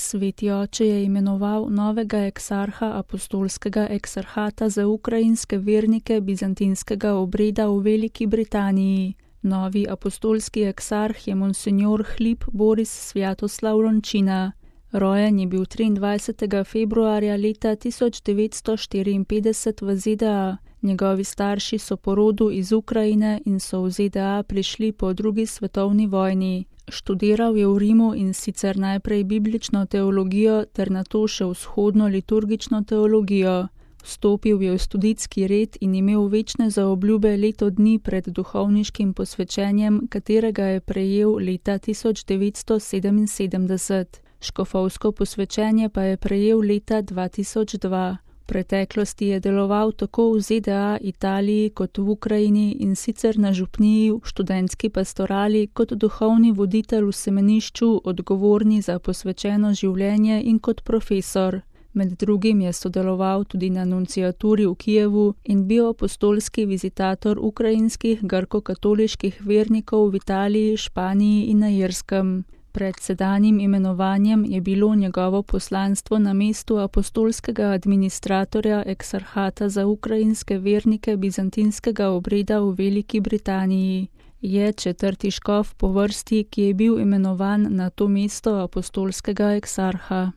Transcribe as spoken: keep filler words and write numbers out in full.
Sveti oče je imenoval novega eksarha apostolskega eksarhata za ukrajinske vernike bizantinskega obreda v Veliki Britaniji. Novi apostolski eksarh je monsinjor Hlib Boris Svjatoslav Lončina. Rojen je bil triindvajsetega februarja leta tisoč devetsto štiriinpetdeset v Z D A. Njegovi starši so po rodu iz Ukrajine in so v Z D A prišli po drugi svetovni vojni. Študiral je v Rimu in sicer najprej biblično teologijo ter nato še vzhodno liturgično teologijo. Vstopil je v studijski red in imel večne zaobljube leto dni pred duhovniškim posvečenjem, katerega je prejel leta tisoč devetsto sedeminsedemdeset. Škofovsko posvečenje pa je prejel leta dva tisoč dva. V preteklosti je deloval tako v Z D A, Italiji kot v Ukrajini in sicer na župniji, v študentski pastorali kot duhovni voditelj v semenišču, odgovorni za posvečeno življenje in kot profesor. Med drugim je sodeloval tudi na nunciaturi v Kijevu in bil apostolski vizitator ukrajinskih grko-katoliških vernikov v Italiji, Španiji in na Irskem. Pred sedanjim imenovanjem je bilo njegovo poslanstvo na mestu apostolskega administratorja eksarhata za ukrajinske vernike bizantinskega obreda v Veliki Britaniji. Je četrti škof po vrsti, ki je bil imenovan na to mesto apostolskega eksarha.